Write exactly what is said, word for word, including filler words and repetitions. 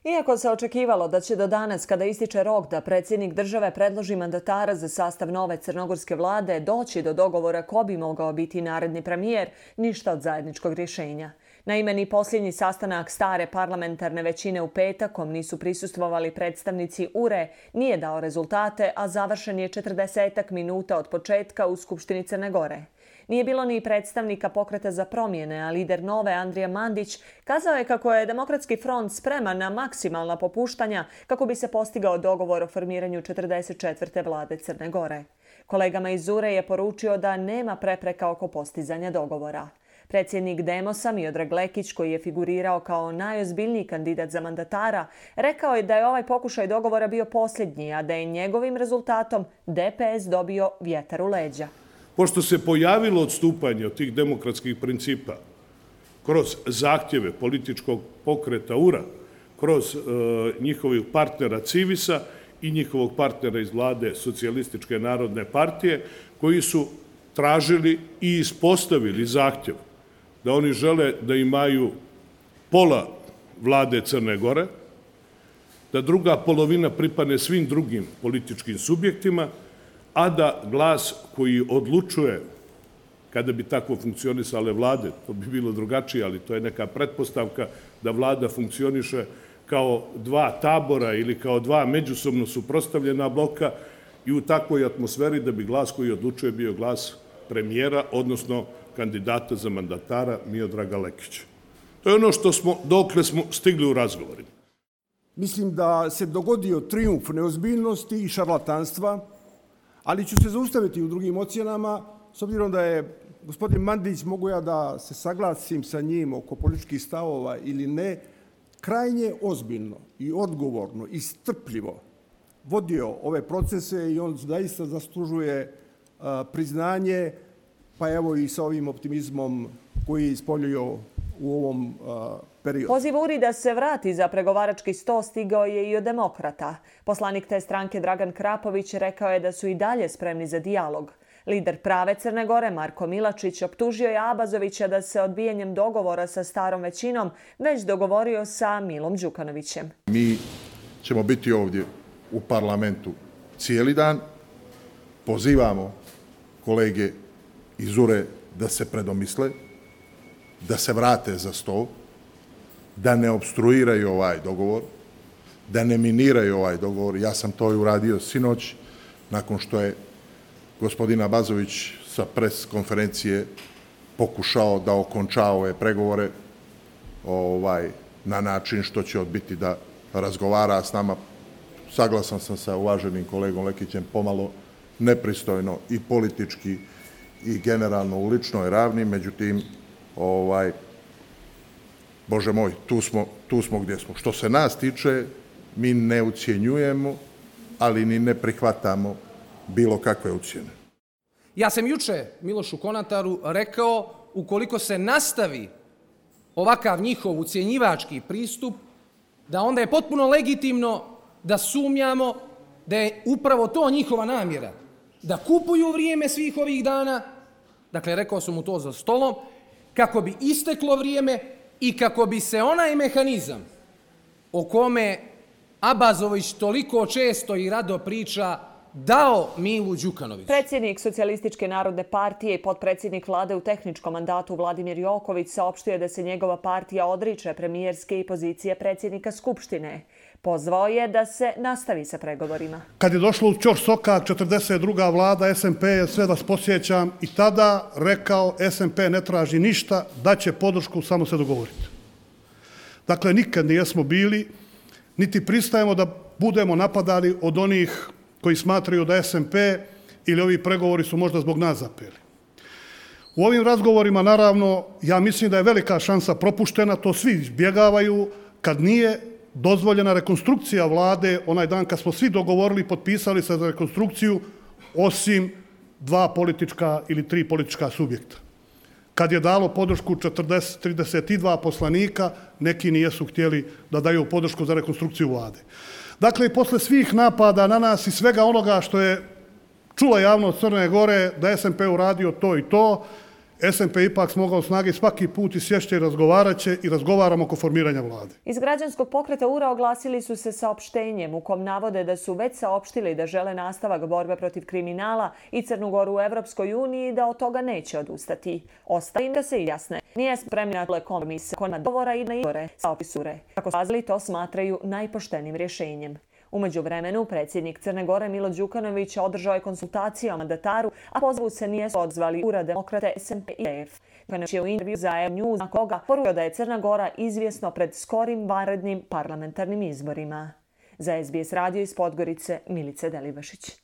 Iako se očekivalo da će do danas, kada ističe rok da predsjednik države predloži mandatara za sastav nove crnogorske vlade, doći do dogovora ko bi mogao biti naredni premijer, ništa od zajedničkog rješenja. Naime, ni posljednji sastanak stare parlamentarne većine u petak, kom nisu prisustvovali predstavnici U R E, nije dao rezultate, a završen je četrdesetak minuta od početka u Skupštini Crne Gore. Nije bilo ni predstavnika Pokreta za promjene, a lider Nove Andrija Mandić kazao je kako je Demokratski front spreman na maksimalna popuštanja kako bi se postigao dogovor o formiranju četrdeset četvrte vlade Crne Gore. Kolegama iz U R E je poručio da nema prepreka oko postizanja dogovora. Predsjednik Demosa Miodrag Lekić, koji je figurirao kao najozbiljniji kandidat za mandatara, rekao je da je ovaj pokušaj dogovora bio posljednji, a da je njegovim rezultatom D P S dobio vjetar u leđa. Pošto se pojavilo odstupanje od tih demokratskih principa kroz zahtjeve političkog pokreta U R A, kroz e, njihovih partnera Civisa i njihovog partnera iz vlade Socijalističke narodne partije, koji su tražili i ispostavili zahtjev da oni žele da imaju pola vlade Crne Gore, da druga polovina pripadne svim drugim političkim subjektima, a da glas koji odlučuje, kada bi tako funkcionisale vlade, to bi bilo drugačije, ali to je neka pretpostavka da vlada funkcioniše kao dva tabora ili kao dva međusobno suprotstavljena bloka i u takvoj atmosferi da bi glas koji odlučuje bio glas premijera, odnosno kandidata za mandatara Miodraga Lekića. To je ono što smo, dokle smo stigli u razgovorima. Mislim da se dogodio trijumf neozbiljnosti i šarlatanstva, ali ću se zaustaviti u drugim ocjenama, s obzirom da je gospodin Mandić, mogu ja da se saglasim sa njim oko političkih stavova ili ne, krajnje ozbiljno i odgovorno i strpljivo vodio ove procese i on zaista zaslužuje a, priznanje, pa evo i sa ovim optimizmom koji je ispoljio u ovom a, periodu. Poziv U R I da se vrati za pregovarački sto stigao je i od demokrata. Poslanik te stranke Dragan Krapović rekao je da su i dalje spremni za dijalog. Lider prave Crne Gore Marko Milačić optužio je Abazovića da se odbijanjem dogovora sa starom većinom već dogovorio sa Milom Đukanovićem. Mi ćemo biti ovdje u parlamentu cijeli dan. Pozivamo kolege iz U R E da se predomisle, da se vrate za sto, da ne opstruiraju ovaj dogovor, da ne miniraju ovaj dogovor. Ja sam to i uradio sinoć, nakon što je gospodin Abazović sa pres konferencije pokušao da okonča ove pregovore ovaj, na način što će odbiti da razgovara s nama. Saglasan sam sa uvaženim kolegom Lekićem, pomalo nepristojno i politički i generalno u ličnoj ravni, međutim, ovaj, Bože moj, tu smo, tu smo gdje smo. Što se nas tiče, mi ne ucjenjujemo, ali ni ne prihvatamo bilo kakve ucjene. Ja sam juče Milošu Konataru rekao, ukoliko se nastavi ovakav njihov ucjenjivački pristup, da onda je potpuno legitimno da sumnjamo da je upravo to njihova namjera. Da kupuju vrijeme svih ovih dana, dakle rekao sam mu to za stolom, kako bi isteklo vrijeme i kako bi se onaj mehanizam o kome Abazović toliko često i rado priča dao Milu Đukanoviću. Predsjednik Socijalističke narodne partije i potpredsjednik vlade u tehničkom mandatu Vladimir Joković saopštio da se njegova partija odriče premijerske i pozicije predsjednika Skupštine. Pozvao je da se nastavi sa pregovorima. Kad je došlo u Ćoš Sokak, četrdeset druga vlada, S M P je, sve vas posjećam, i tada rekao S M P ne traži ništa, daće podršku, samo se dogovoriti. Dakle, nikad nijesmo bili, niti pristajemo da budemo napadani od onih koji smatraju da S M P ili ovi pregovori su možda zbog nas zapeli. U ovim razgovorima, naravno, ja mislim da je velika šansa propuštena, to svi izbjegavaju, kad nije dozvoljena rekonstrukcija vlade, onaj dan kad smo svi dogovorili i potpisali se za rekonstrukciju, osim dva politička ili tri politička subjekta. Kad je dalo podršku četrdeset, trideset dva poslanika, neki nijesu htjeli da daju podršku za rekonstrukciju vlade. Dakle, i posle svih napada na nas i svega onoga što je čula javnost Crne Gore da S M P uradio to i to, S N P ipak smogao snage svaki put i sješće i razgovarat će i razgovaramo oko formiranja vlade. Iz građanskog pokreta U R A oglasili su se saopštenjem u kom navode da su već saopštili da žele nastavak borbe protiv kriminala i Crnu Goru u Evropskoj uniji i da od toga neće odustati. Ostaje im da se jasne. Nije spremni na kompromise, kod dogovora i na izbore, saopštili. Kako sazvali, to smatraju najpoštenim rješenjem. U međuvremenu, predsjednik Crne Gore Milo Đukanović održao je konsultacije o mandataru, a pozivu se nije odzvali U R A, Demokrate, S N P i P F. Đukanović je u intervju za E News na koga poručio da je Crna Gora izvjesno pred skorim vanrednim parlamentarnim izborima. Za S B S radio iz Podgorice, Milica Delibašić.